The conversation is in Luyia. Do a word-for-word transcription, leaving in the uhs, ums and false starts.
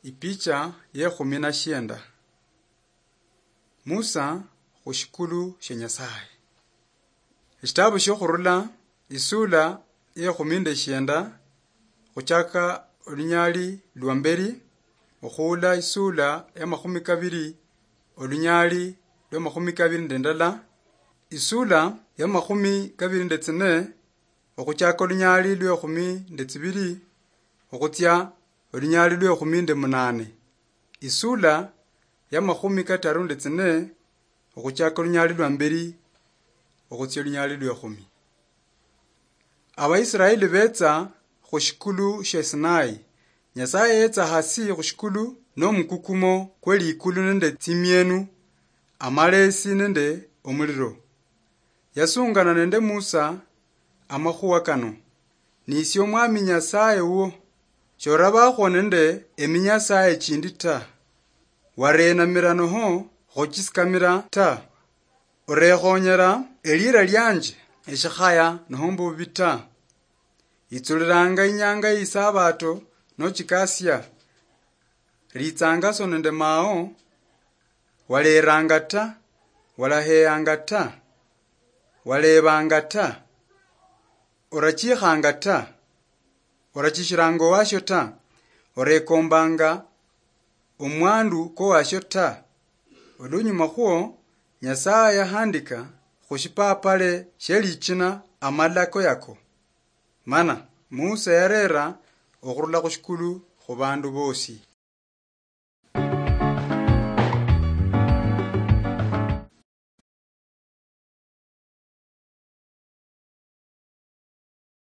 Ipicha yekhumi na shienda. Musa khushikulu shia Nyasaye. Eshitabu shiokhurula, isula yekhumi nde shienda, khuchaka olunyali lwa mberi, okhuula isula ya makhumi kabiri, olunyali lwa makhumi kabiri nde ndala, isula ya makhumi kabiri nde tsine, okhuchaka olunyali lwa ekhumi nde tsibiri, okhutsia olunyali lwa ekhumi nde munane, isula ya makhumi kataru nde tsine, okhuchaka olunyali lwa mberi, okhutsia olunyali lwa ekhumi. Abaisraeli betsa khushikulu shia Sinai. Nyasaye yetsa hasi khushikulu nomukukumo kwelikulu nende tsimienu, amalesi nende omuliro. Yasungana nende Musa amakhuwa kano: "Nisie Omwami Nyasaye wuwo, shorabakhwo nende eminyasaye chindi ta. Warenamira noho khuchisikamira ta. Orekhonyera elira lianje eshikhaya noho mbubi ta. Itsuliranga inyanga yeisabato nochikasia. Ritsangaso nende mao, waleranga ta, walaheyanga ta, walebanga ta, orachikhanga ta, orachishiranga owasho ta, orekombanga omwandu kowasho ta." Olunyuma khwo, Nyasaye yahandika khushipapale shielichina amalako yako. Mana Musa yarera okhurula khushikulu khubandu bosi.